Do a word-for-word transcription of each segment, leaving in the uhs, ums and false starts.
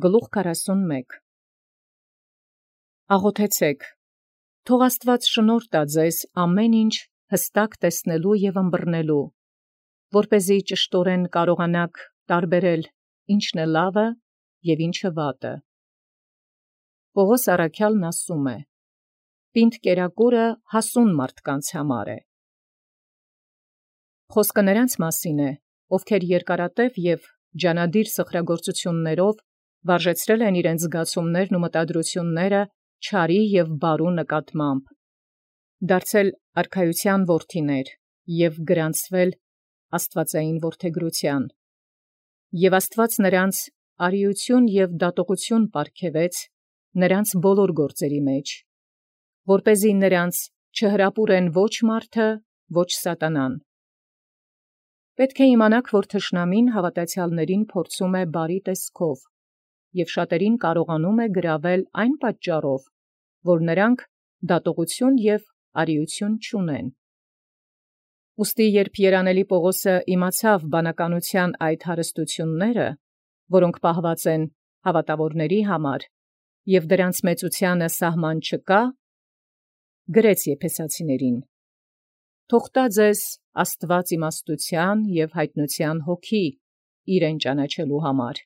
Գլուխ քառասունմեկ Աղոթեցեք, թող Աստուած շնորհ տա ձեզ ամեն ինչ հստակ տեսնելու և ըմբռնելու, որպեսզի ճշտորեն կարողանաք տարբերել ինչն է լավը և ինչը վատը։ Պողոս առաքյալն ասում է. «Պինդ կերակուրը հասուն մարդկանց համար է»։ Խոսքը նրանց մասին է, ովքեր երկարատև և ջանադիր սխրագործություններով վարժեցրել են իրենց զգացումներն ու մտադրությունները չարի և բարու նկատմամբ, դարձել արքայության որդիներ և գրանցվել աստվածային որդեգրութեան, և Աստուած նրանց արիություն և դատողություն պարգևեց նրանց բոլոր գործերի մեջ, որպեսզի նրանց չհրապուրեն ոչ մարդը, ոչ սատանան։ Պետք է իմանաք, որ թշնամին հավատացյալներին փորձում է բարի տեսքով և շատերին կարողանում է գրավել այն պատճառով, որ նրանք դատողություն և արիություն չունեն։ Ուստի երբ երանելի Պողոսը իմացավ բանականության այդ հարստությունները, որոնք պահված են հավատավորների համար, և դրանց մեծութիւնը սահման չկա, գրեց Եփեսացիներին. «Թող տա ձեզ Աստուած իմաստութեան և յայտնութեան հոգի իրեն ճանաչելու համար.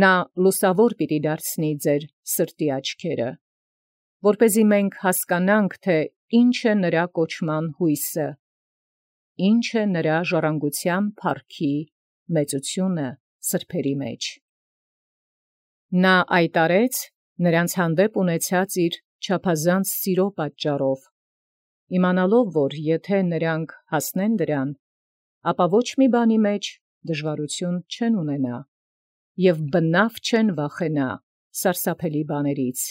նա լուսաւոր պիտի դարձնի ձեր սրտի աչքերը, որպեսզի մենք հասկանանք, թէ ինչ է նրա կոչման յույսը, ինչ է նրա ժառանգութեան փառքի մեծութիւնը սրբոցի մեջ. նա այդ արեց նրանց հանդեպ ունեցած իր չափազանց սիրո պատճառով, իմանալով, որ եթէ նրանք հասնեն դրան, ապա ոչ մի բանի մեջ դժուարութիւն չեն ունենա, և բնաւ չեն վախենա սարսափելի բաներից.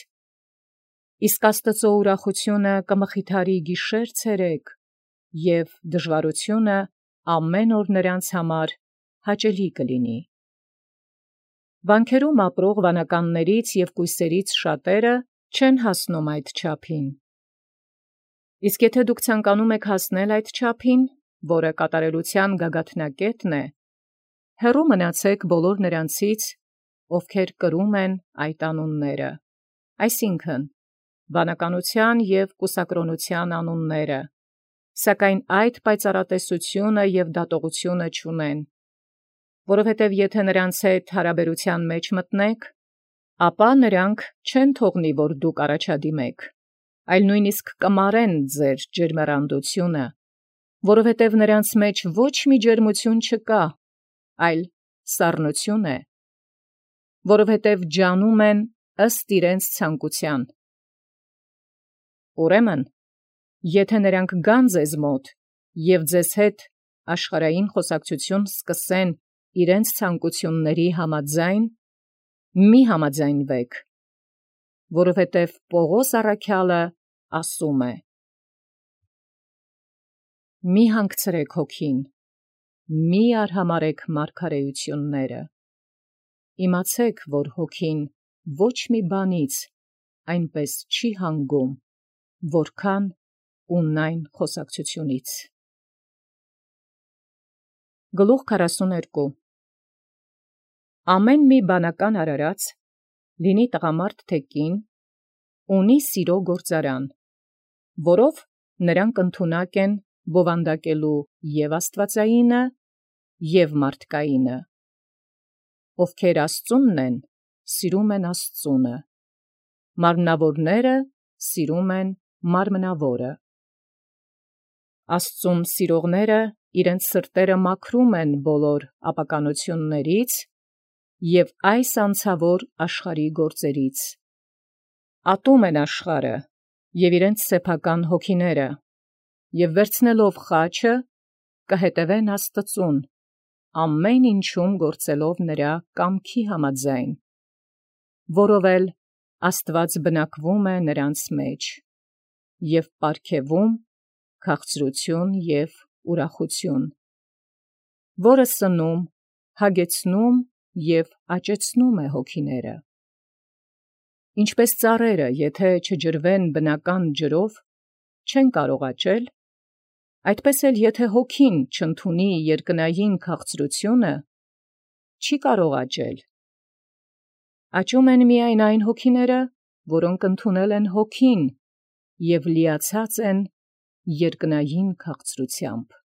իսկ Աստուծոյ ուրախութիւնը կմխիթարի գիշեր ցերեկ, և դժուարութիւնը ամեն օր նրանց համար հաճելի կլինի։ Վանքերում ապրող վանականաց և կույսերից շատերը չեն հասնում այդ չափին։ Իսկ եթէ դուք ցանկանում եք հասնել այդ չափին, որը կատարելութեան գագաթնակետն է, հեռու մնացէք բոլոր նրանցից, ովքեր կրում են այդ անունները, այսինքն՝ վանականութեան և կուսակրոնութեան անունները, սակայն այդ պայծառատեսութիւնը և դատողութիւնը չունեն, որովհետև եթէ նրանց հետ հարաբերութեան մեջ մտնեք, ապա նրանք չեն թողնի, որ դուք առաջադիմեք, այլ նոյնիսկ կմարեն ձեր ջերմեռանդութիւնը, որովհետև նրանց մեջ ոչ մի ջերմութիւն չկա, այլ սառնութիւն է, որովհետև ջանում են ըստ իրենց ցանկութեան։ Ուրեմն եթէ նրանք գան ձեզ մոտ և ձեզ հետ աշխարհային խոսակցութիւն սկսեն իրենց ցանկութիւնացն համաձայն, մի՛ համաձայնվեք, որովհետև Պողոս առաքյալը ասում է. «Մի՛ հանգցրեք հոգին, մի՛ արհամարհեք մարգարէութիւնները. իմացէք, որ հոգին ոչ մի բանից այնպէս չի հանգում, որքան ունայն խոսակցութիւնից»։ Գլուխ քառասուներկու Ամեն մի բանական արարած, լինի տղամարդ թէ կին, ունի սիրո գործարան, որով նրանք ընդունակ են բովանդակելու և աստուածայինը և մարդկայինը. ովքեր Աստծունն են, սիրում են Աստծունը, մարմնավորները սիրում են մարմնավորը։ Աստծուն սիրողները իրենց սրտերը մաքրում են բոլոր ապականություններից և այս անցավոր աշխարհի գործերից, ատում են աշխարհը և իրենց սեփական հոգիները, և վերցնելով խաչը, կհետևեն Աստուծուն, ամեն ինչում գործելով նրա կամքի համաձայն, որով էլ Աստուած բնակվում է նրանց մեջ, և պարգևում քաղցրութիւն և ուրախութիւն, որը սնում, հագեցնում և աճեցնում է հոգիները։ Ինչպէս ծառերը, եթէ չջրվեն բնական ջրով, չեն կարող աճել, այդպէս էլ եթե հոգին չընդունի երկնային քաղցրութիւնը, չի կարող աճել։ Աճում են միայն այն հոգիները, որոնք ընդունել են հոգին և լիացած են երկնային քաղցրությամբ։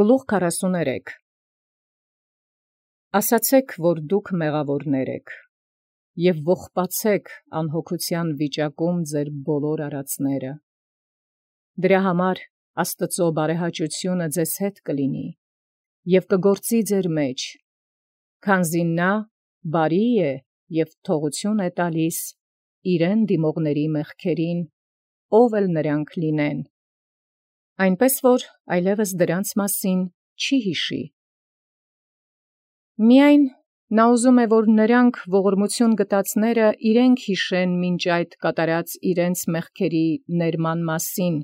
Գլուխ քառասուներեք Ասացեք, որ դուք մեղավորներ եք, և ողբացեք անհոգության վիճակում ձեր բոլոր արածները։ Դրա համար Աստծո բարեհաճությունը ձեզ հետ կլինի, և կգործի ձեր մեջ, քանզի նա բարի է և թողություն է տալիս իրեն դիմողների մեղքերին, ով էլ նրանք լինեն, այնպես որ այլևս դրանց մասին չի հիշի։ Միայն նա ուզում է, որ նրանք ողորմություն գտածները իրենք հիշեն մինչ այդ կատարած իրենց մեղքերի ներման մասին,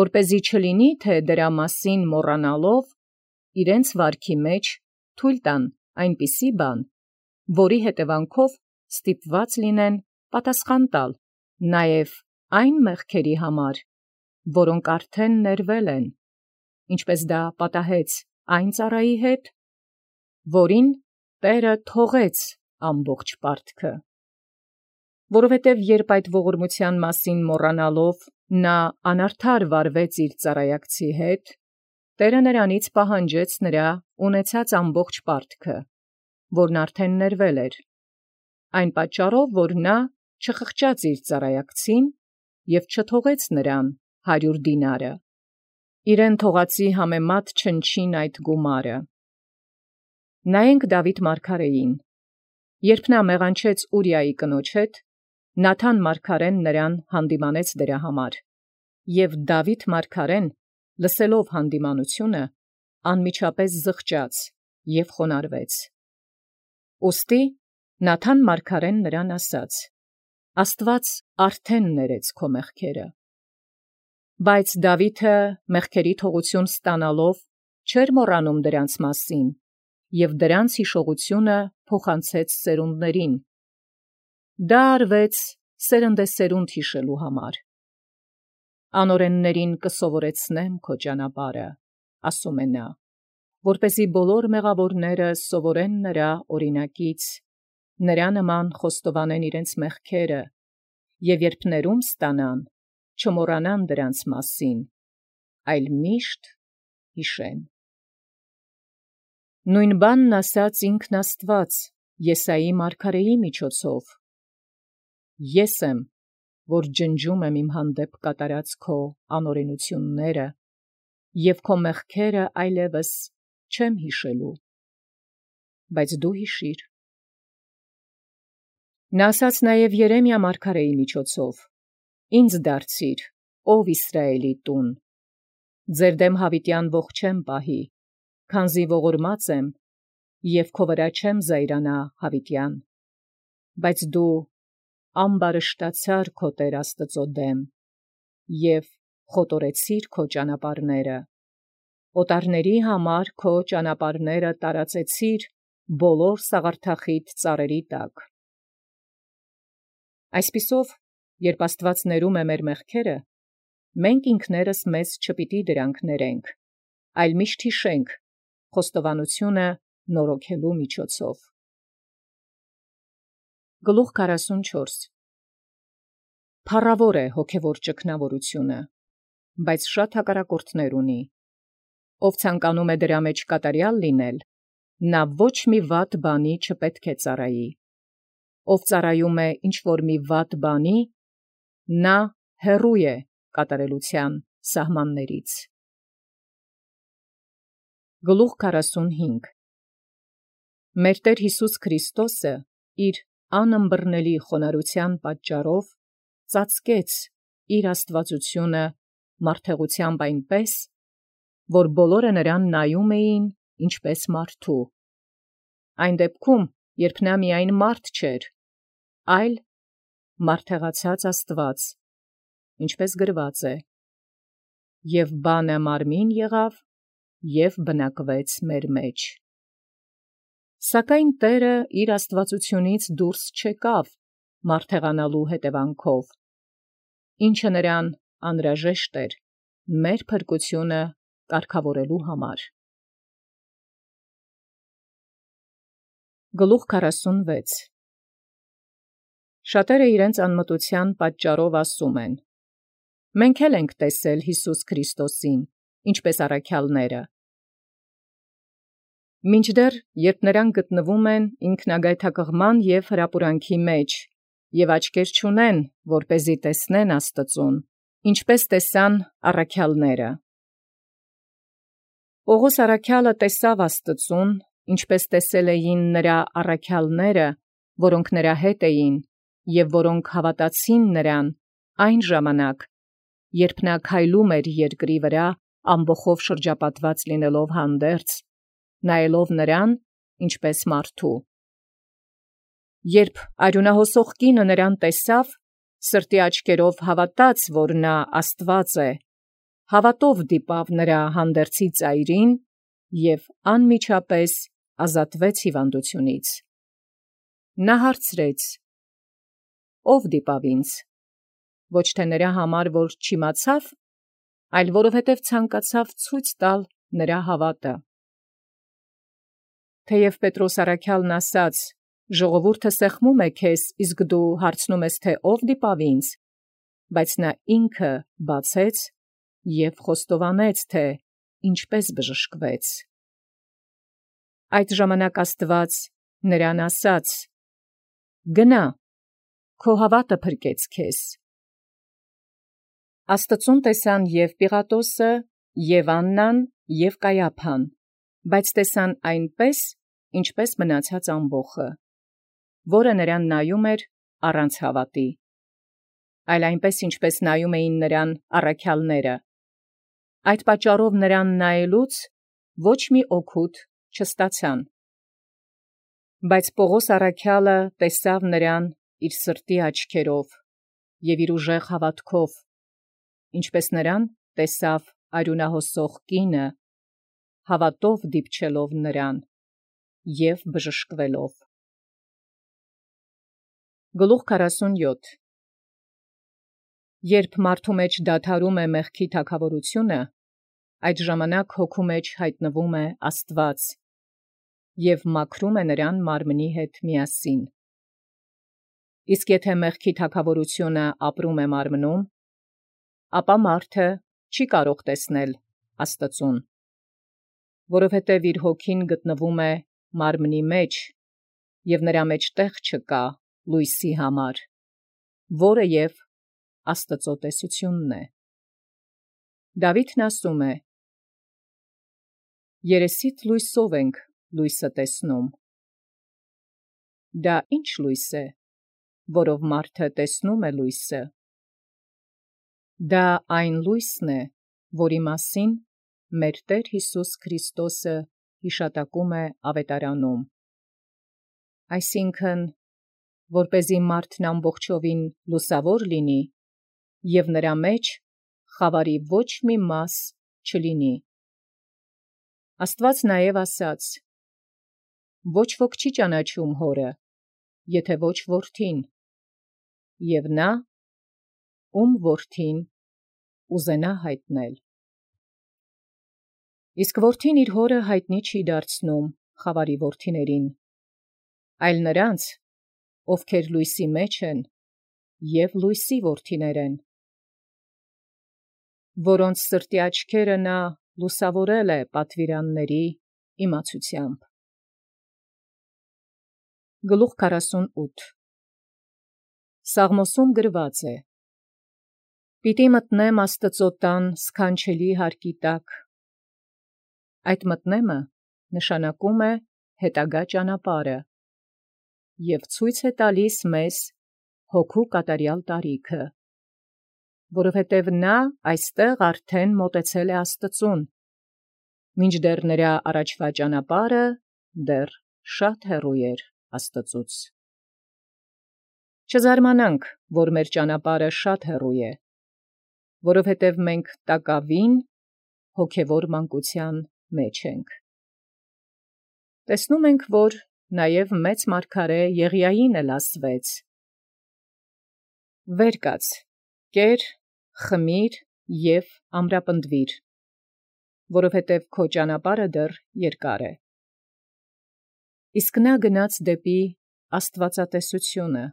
որպեսզի չլինի, թե դրա մասին մոռանալով իրենց վարքի մեջ թույլ տան այնպիսի բան, որի հետևանքով ստիպված լինեն պատասխան տալ նաև այն մեղքերի համար, որոնք արդեն ներվել են, ինչպես դա պատահեց այն ծառայի հետ, որին Տէրը թողեց ամբողջ պարտքը։ Որովհետև երբ այդ ողորմության մասին մոռանալով նա անարդար վարվեց իր ծառայակցի հետ, Տէրը նրանից պահանջեց նրա ունեցած ամբողջ պարտքը, որն արդեն ներվել էր, այն պատճառով, որ նա չխղճաց իր ծառայակցին և չթողեց նրան հարյուր դինարը, իրեն թողածի համեմատ չնչին այդ գումարը։ Նայենք Դավիթ մարգարեին. երբ նա մեղանչեց Ուրիայի կնոջ հետ, Նաթան մարգարեն նրան հանդիմանեց դրա համար, և Դավիթ մարգարեն, լսելով հանդիմանությունը, անմիջապես զղջաց և խոնարհվեց։ Ուստի Նաթան մարգարեն նրան ասաց. «Աստուած արդեն ներեց քո մեղքերը»։ Բայց Դավիթը մեղքերի թողություն ստանալով չէր մոռանում դրանց մասին, և դրանց հիշողությունը փոխանցեց սերունդներին։ Դա արվեց սերնդեսերունդ հիշելու համար։ «Անօրեններին կսովորեցնեմ քո ճանապարհը, ասում է նա, որպեսզի բոլոր մեղավորները սովորեն նրա օրինակից, նրա նման խոստովանեն իրենց մեղքերը, և երբ ներում ստանան, չմոռանան դրանց մասին, այլ միշտ հիշեն»։ Նույն բանն ասաց ինքն Աստուած Եսայի մարգարեի միջոցով. «Ես եմ, որ ջնջում եմ իմ հանդեպ կատարած քո անօրենությունները, և քո մեղքերը այլևս չեմ հիշելու, բայց դու հիշիր»։ Նա ասաց նաև Երեմիա մարգարեի միջոցով. «Ինձ դարձիր, ո՛վ Իսրայելի տուն, ձեր դեմ յաւիտեան ոխ չեմ պահի, քանզի ողորմած եմ, և քո վրա չեմ զայրանա յաւիտեան, բայց դու ամբարշտացար քո Տէր Աստուծո դեմ և խոտորեցիր քո ճանապարհները, օտարների համար քո ճանապարհները տարածեցիր բոլոր սաղարթախիտ ծառերի տակ»։ Այսպիսով, երբ Աստուած ներում է մեր մեղքերը, մենք ինքներս մեզ չպիտի դրանք ներենք, այլ միշտ հիշենք խոստովանությունը նորոգելու միջոցով։ Գլուխ քառասունչորս Փառաւոր է հոգևոր ճգնավորությունը, բայց շատ հակառակորդներ ունի։ Ով ցանկանում է դրա մեջ կատարյալ լինել, նա ոչ մի վատ բանի չպետք է ծառայի։ Ով ծառայում է ինչ-որ մի վատ բանի, նա հեռու է կատարելության սահմաններից։ Գլուխ քառասունհինգ Մեր Տէր Յիսուս Քրիստոսը իր անըմբռնելի խոնարհության պատճառով ծածկեց իր աստվածությունը մարդեղութեամբ այնպես, որ բոլորը նրան նայում էին ինչպես մարդու, այն դեպքում, երբ նա միայն մարդ չէր, այլ մարդեղացած Աստուած, ինչպես գրված է. «Եւ բանը մարմին եղավ և բնակվեց մեր մեջ»։ Սակայն Տէրը իր աստվածությունից դուրս չեկավ մարդեղանալու հետևանքով, ինչը նրան անհրաժեշտ էր մեր փրկությունը կարգավորելու համար։ Գլուխ քառասունվեց. Շատերը իրենց անմտության պատճառով ասում են. մենք էլ ենք տեսել Յիսուս Քրիստոսին, ինչպես առաքյալները։ Մինչդեռ երբ նրանք գտնվում են ինքնագայթակղման և հրապուրանքի մեջ, և աչքեր չունեն, որպեսզի տեսնեն Աստծուն, ինչպես տեսան առաքյալները։ Պողոս առաքյալը տեսավ Աստծուն, ինչպես տեսել էին նրա առաքյալները, որոնք նրա հետ էին, և որոնք հավատացին նրան այն ժամանակ, երբ նա քայլում էր երկրի վրա ամբոխով շրջապատված լինելով հանդերձ, նայելով նրան ինչպես մարդու։ Երբ արյունահոսող կինը նրան տեսավ, սրտի աչքերով հավատաց, որ նա Աստված է, հավատով դիպավ նրա հանդերձի ծայրին և անմիջապես ազատվեց հիվանդությունից։ Նա հարցրեց. «Ո՞վ դիպավ ինձ»։ Ոչ թե նրա համար, որ չիմացավ, այլ որովհետև ցանկացավ ցույց տալ նրա հավատը։ Թեև Պետրոս առաքյալն ասաց. «Ժողովուրդը սեղմում է քեզ, իսկ դու հարցնում ես, թե ո՞վ դիպավ ինձ», բայց նա ինքը բացեց և խոստովանեց, թե ինչպես բժշկվեց։ Այդ ժամանակ Աստուած նրան ասաց. «Գնա, քո հավատը փրկեց քեզ»։ Աստծուն տեսան և Պիղատոսը, և Աննան, և Կայափան, բայց տեսան այնպես, ինչպես մնացած ամբոխը, որը նրան նայում էր առանց հավատի, այլ այնպես, ինչպես նայում էին նրան առաքյալները։ Այդ պատճառով նրան նայելուց ոչ մի օգուտ չստացան։ Բայց Պողոս առաքյալը տեսավ նրան իր սրտի աչքերով և իր ուժեղ հավատքով, ինչպես նրան տեսավ արյունահոսող կինը, հավատով դիպչելով նրան և բժշկվելով։ Գլուխ քառասունյոթ Երբ մարդու մեջ դադարում է մեղքի թագավորությունը, այդ ժամանակ հոգու մեջ հայտնվում է Աստված և մաքրում է նրան մարմնի հետ միասին։ Իսկ եթե մեղքի թագավորությունը ապրում է մարմնում, ապա մարդը չի կարող տեսնել Աստծուն, որովհետև իր հոգին գտնվում է մարմնի մեջ, և նրա մեջ տեղ չկա լույսի համար, որը և Աստծո տեսությունն է։ Դավիթն ասում է. «Երեսիդ լույսով ենք լույսը տեսնում»։ Դա ի՞նչ լույս է, որով մարդը տեսնում է լույսը։ Դա այն լույսն է, որի մասին մեր Տեր Յիսուս Քրիստոսը յիշատակում է ավետարանում, այսինքն, որպեսզի մարդն ամբողջովին լուսավոր լինի, և նրա մեջ խավարի ոչ մի մաս չլինի։ Աստված նաև ասաց. «Ոչ ոք չի ճանաչում Հորը, եթե ոչ Որդին, և նա, ում Որդին ուզենա հայտնել»։ Իսկ Որդին իր Հորը հայտնի չի դարձնում խավարի որդիներին, այլ նրանց, ովքեր լույսի մեջ են և լույսի որդիներ են, որոնց սրտի աչքերը նա լուսավորել է պատվիրանների իմացությամբ։ Գլուխ քառասունութ Սաղմոսում գրված է. «Պիտի մտնեմ Աստծո տան սքանչելի հարկի տակ»։ Այդ մտնեմը նշանակում է հետագա ճանապարհը և ցույց է տալիս մեզ հոգու կատարյալ տարիքը, որովհետև նա այստեղ արդեն մոտեցել է Աստծուն, մինչդեռ նրա առաջվա ճանապարհը դեռ շատ հեռու էր Աստծուց։ Չզարմանանք, որ մեր ճանապարհը շատ հեռու է, որովհետև մենք տակավին հոգևոր մանկության մեջ ենք։ Տեսնում ենք, որ նաև մեծ մարգարե Եղիային էլ ասվեց. «Վեր կաց, կեր, խմիր և ամրապնդվիր, որովհետև քո ճանապարհը դեռ երկար է»։ իսկ նա գնաց դեպի աստվածատեսությունը։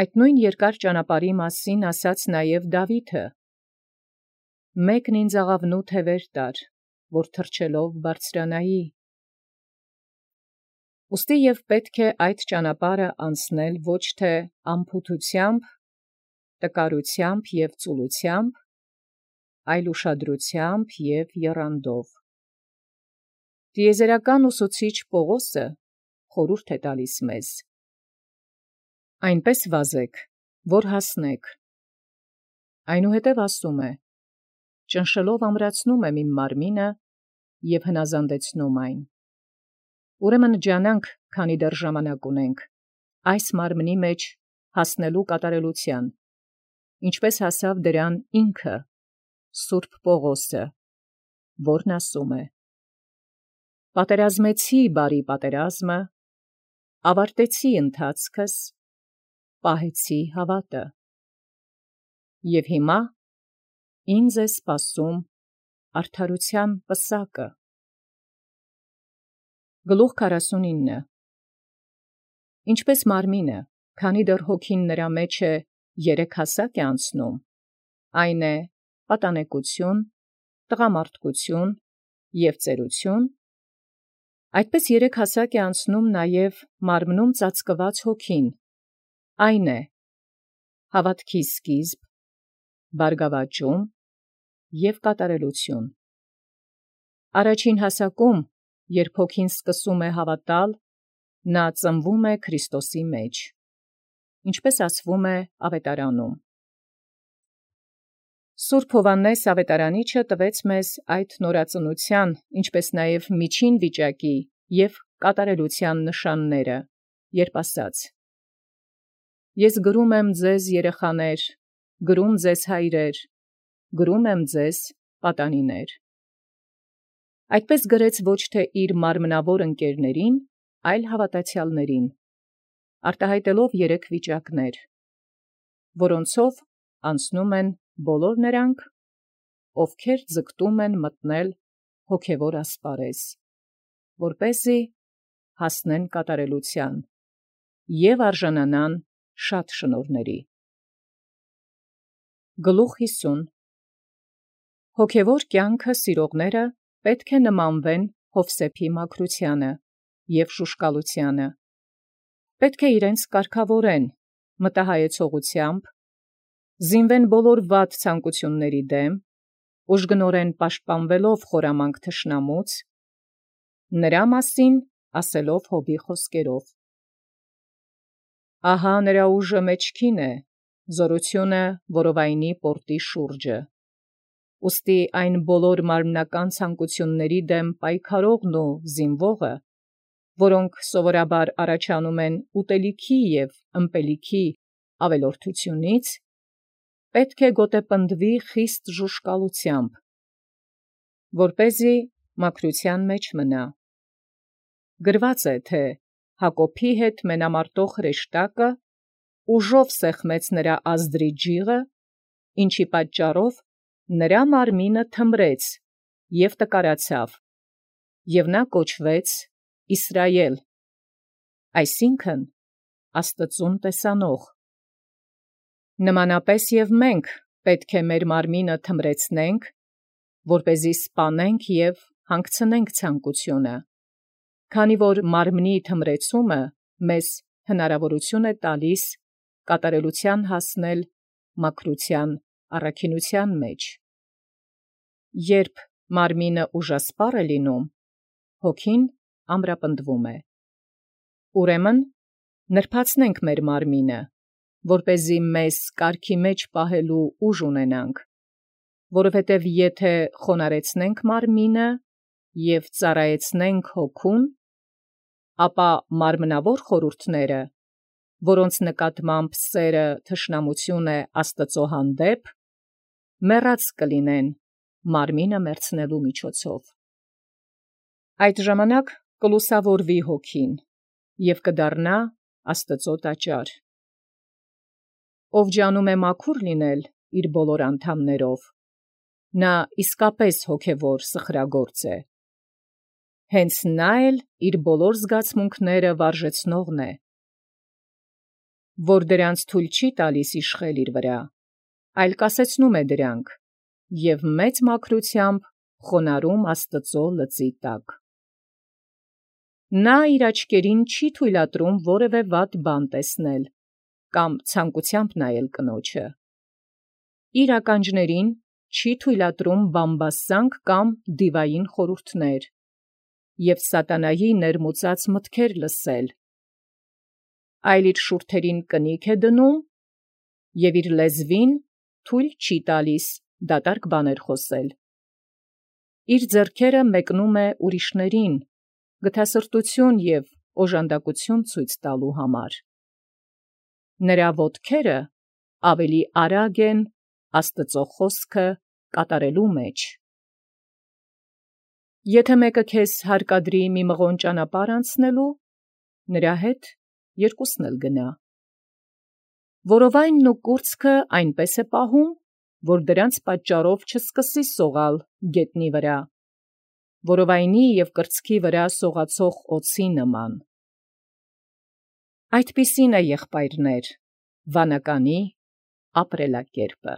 Այդ նույն երկար ճանապարհի մասին ասաց նաև Դավիթը. «Մեկն ինձ աղավնու թևեր տար, որ թռչելով բարձրանայի»։ Ուստի և պետք է այդ ճանապարհը անցնել ոչ թե անփութությամբ, տկարությամբ և ծուլությամբ, այլ ուշադրությամբ և եռանդով։ Տիեզերական ուսուցիչ Պողոսը խորհուրդ է տալիս մեզ. այնպես վազեք, որ հասնեք։ Այնուհետև ասում է. ճնշելով ամրացնում եմ իմ մարմինը և հնազանդեցնում այն։ Ուրեմն ջանանք, քանի դեռ ժամանակ ունենք, այս մարմնի մեջ հասնելու կատարելության, ինչպես հասավ դրան ինքը, Սուրբ Պողոսը, որն ասում է. պատերազմեցի բարի պատերազմը, ավարտեցի ընթացքս, պահեցի հավատը։ Եվ հիմա ինձ է սպասում արդարության պսակը։ Գլուխ քառասունինը Ինչպես մարմինը, քանի դեռ հոգին նրա մեջ է, երեք հասակ է անցնում, այն է պատանեկություն, տղամարդկություն և ծերություն, այդպես երեք հասակ է անցնում նաև մարմնում ծածկված հոգին, այն է հավատքի սկիզբ, բարգավաճում և կատարելություն։ Առաջին հասակում, երբ հոգին սկսում է հավատալ, նա ծնվում է Քրիստոսի մեջ, ինչպես ասվում է Ավետարանում։ Սուրբ Հովհաննես Ավետարանիչը տվեց մեզ այդ նորածնության, ինչպես նաև միջին վիճակի և կատարելության նշանները, երբ ասաց. «Ես գրում եմ ձեզ երեխաներ, գրում ձեզ հայրեր, գրում եմ ձեզ պատանիներ»։ Այդպես գրեց ոչ թե իր մարմնավոր ընկերներին, այլ հավատացյալներին, արտահայտելով երեք վիճակներ, որոնցով անցնում են բոլոր նրանք, ովքեր ձգտում են մտնել հոգևոր ասպարեզ, որպեսզի հասնեն կատարելության և արժանանան շատ շնորհների։ Գլուխ հիսուն Հոգևոր կյանքը սիրողները պետք է նմանվեն Յովսեփի մաքրությանը և շուշկալությանը, պետք է իրենց կարգավորեն մտահայեցողությամբ, զինվեն բոլոր վատ ցանկությունների դեմ, ուժգնորեն պաշտպանվելով խորամանկ թշնամուց, նրա մասին ասելով Հոբի խոսքերով. «Ահա նրա ուժը մեջքին է, զորությունը որովայնի պորտի շուրջը, ուստի այն բոլոր մարմնական ցանկությունների դեմ պայքարողն ու զինվողը, որոնք սովորաբար առաջանում են ուտելիքի և ըմպելիքի ավելորդությունից, պետք է գոտեպնդվի խիստ ժուշկալությամբ, որպեսզի մաքրության մեջ մնա։ Գրված է, թե Հակոբի հետ մենամարտող հրեշտակը ուժով սեղմեց նրա ազդրի ջիղը, ինչի պատճառով նրա մարմինը թմրեց և տկարացավ, և նա կոչվեց Իսրայել, այսինքն՝ Աստծուն տեսանող։ Նմանապես և մենք պետք է մեր մարմինը թմրեցնենք, որպեսզի սպանենք և հանգցնենք ցանկությունը, քանի որ մարմնի թմրեցումը մեզ հնարավորություն է տալիս կատարելության հասնել մաքրության առաքինության մեջ։ Երբ մարմինը ուժասպառ է լինում, հոգին ամրապնդվում է։ Ուրեմն նրբացնենք մեր մարմինը, որպեսզի մեզ կարգի մեջ պահելու ուժ ունենանք, որովհետև եթե խոնարհեցնենք մարմինը և ծառայեցնենք հոգուն, ապա մարմնավոր խորհուրդները, որոնց նկատմամբ սերը թշնամություն է Աստծո հանդեպ, մեռած կլինեն մարմինը մեռցնելու միջոցով։ Այդ ժամանակ կլուսավորվի հոգին և կդառնա Աստծո տաճար։ Ով ջանում է մաքուր լինել իր բոլոր անդամներով, նա իսկապես հոգևոր սխրագործ է։ հենց նա էլ իր բոլոր զգացմունքները վարժեցնողն է, որ դրանց թույլ չի տալիս իշխել իր վրա, այլ կասեցնում է դրանք, և մեծ մաքրությամբ խոնարհում Աստծո լծի տակ։ Նա իր աչքերին չի թույլատրում որևէ վատ բան տեսնել, կամ ցանկությամբ նայել կնոջը։ Իր ականջներին չի թույլատրում բամբասանք կամ դիվային խորհուրդներ և սատանայի ներմուծած մտքեր լսել, այլ իր շուրթերին կնիք է դնում և իր լեզվին թույլ չի տալիս դատարկ բաներ խոսել։ Իր ձեռքերը մեկնում է ուրիշներին, գթասրտություն և օժանդակություն ցույց տալու համար։ Նրա ոտքերը ավելի արագ են Աստծո խոսքը կատարելու մեջ։ Եթե մեկը քեզ հարկադրի մի մղոն ճանապարհ անցնելու, նրա հետ երկուսն էլ գնա։ Որովայնն ու կուրծքը այնպես է պահում, որ դրանց պատճառով չսկսի սողալ գետնի վրա, որովայնի և կրծքի վրա սողացող օձի նման։ Այդպիսին է, եղբայրներ, վանականի ապրելակերպը։